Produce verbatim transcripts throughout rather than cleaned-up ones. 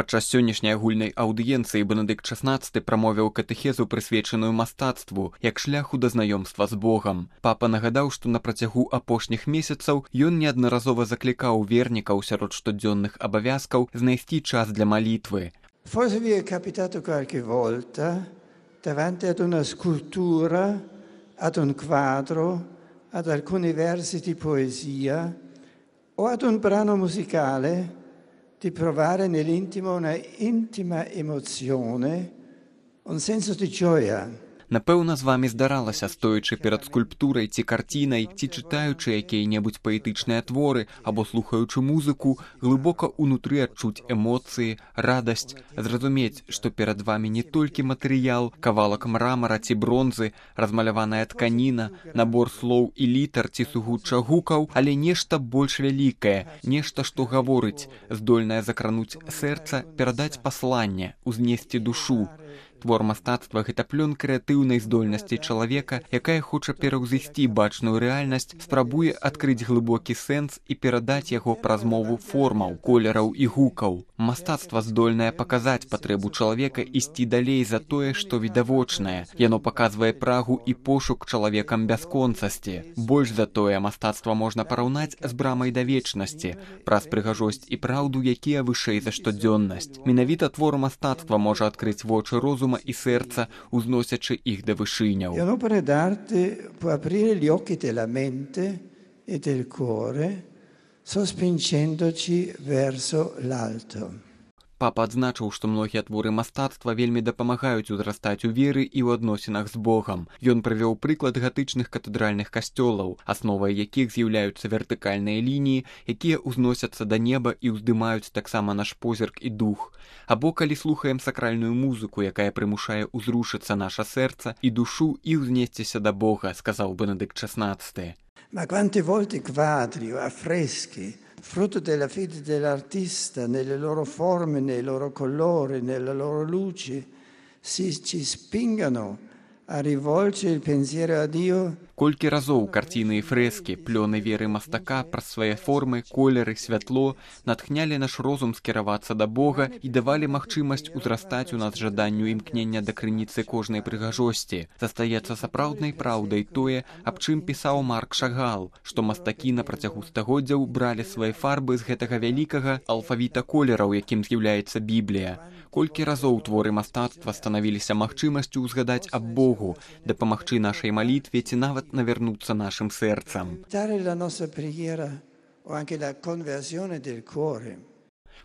Падчас сённяшняй агульнай аўдыенцыі Бенедыкт шаснаццаты прамовіў катэхезу, прысвечаную мастацтву, як шляху да знаёмства з Богам. Папа нагадаў, што на працягу апошніх месяцаў ён неаднаразова заклікаў вернікаў сярод штодзённых абавязкаў знайсці час для малітвы. Forse vi è capitato qualche volta davanti ad una scultura, ad un quadro, ad alcuni versi di poesia o ad un brano musicale di provare nell'intimo una intima emozione, un senso di gioia. Напэўна, з вамі здаралася, стоячы перад скульптурай ці карцінай, ці чытаючы якія-небудзь паэтычныя творы або слухаючы музыку, глыбока ўнутры адчуць эмоцыі, радасць, зразумець, што перад вамі не толькі матэрыял, кавалак мрамара ці бронзы, размаляваная тканіна, набор слоў і літар ці сугучча гукаў, але нешта больш вялікае, нешта, што гаворыць, здольнае закрануць сэрца, перадаць пасланне, узнесці душу. Твор мастацтва – гэта плён крэатыўнай здольнасці чалавека, якая хоча пераўзысці бачную рэальнасць, спрабуе адкрыць глыбокі сэнс і перадаць яго праз мову формаў, колераў і гукаў. Мастацтва здольнае паказаць патрэбу чалавека ісці далей за тое, што відавочнае. Яно паказвае прагу і пошук чалавекам бясконцасці. Больш за тое, мастацтва можна параўнаць з брамай да вечнасці, праз прыгажосць і праўду, якія вышэй за штодзённасць. Менавіта твор мастацтва можа адкрыць вочы розуму і сэрца, узносячы іх да вышыняў. L'opera d'arte può aprire gli occhi della mente e del cuore, sospingendoci verso l'alto. Папа адзначыў, што многія творы мастацтва вельмі дапамагаюць узрастаць у веры і ў адносінах з Богам. Ён прывёў прыклад гатычных катэдральных касцёлаў, асновай якіх з'яўляюцца вертыкальныя лініі, якія ўзносяцца да неба і ўздымаюць таксама наш позірк і дух. Або калі слухаем сакральную музыку, якая прымушае ўзрушыцца наша сэрца і душу і ўзнесціся да Бога, сказаў Бенедыкт шаснаццаты. Ma quante volte quadri o affreschi, frutto della fede dell'artista, nelle loro forme, nei loro colori, nelle loro luci, si ci spingano a rivolgere il pensiero a Dio. Колькі разоў карціны і фрэскі, плёны веры мастака праз свае формы, колеры, святло натхнялі наш розум скіравацца да Бога і давалі магчымасць узрастаць у нас жаданню імкнення да крыніцы кожнай прыгажосці. Застаецца сапраўднай праўдай тое, аб чым пісаў Марк Шагал, што мастакі на працягу стагоддзяў бралі свае фарбы з гэтага вялікага алфавіта колераў, якім з'яўляецца Біблія. Колькі разоў творы мастацтва станавіліся магчымасцю ўзгадаць аб Богу, дапамагчы нашай малітве ці нават навярнуцца нашым сэрцам.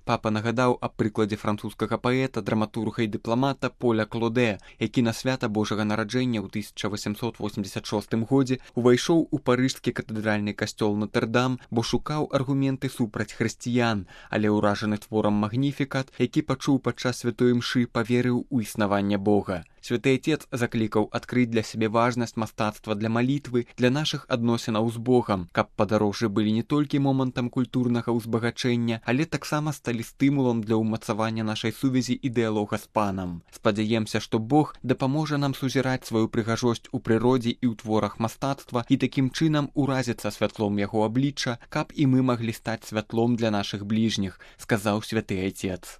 Папа нагадаў аб прыкладзе французскага паэта, драматурга і дыпламата Поля Клоде, які на свята Божага нараджэння ў тысяча восемсот восемьдесят шостым годзе увайшоў у парыжскі катэдральны касцёл Нотр-Дам, бо шукаў аргументы супраць хрысціян, але ўражаны творам «Магніфікат», які пачуў падчас святой імшы, паверыў у існаванне Бога. Святы Отец заклікаў адкрыць для сябе важнасць мастацтва для малітвы, для нашых адносінаў з Богам, каб падарожжы былі не толькі момантам культурнага ўзбагачэння, але таксама сталі стымулам для ўмацавання нашай сувязі і дыялога з Панам. Спадзяемся, што Бог дапаможа нам сузіраць сваю прыгажосць у прыродзе і ў творах мастацтва і такім чынам уразіцца святлом яго аблічча, каб і мы маглі стаць святлом для нашых бліжніх, сказаў Святы Отец.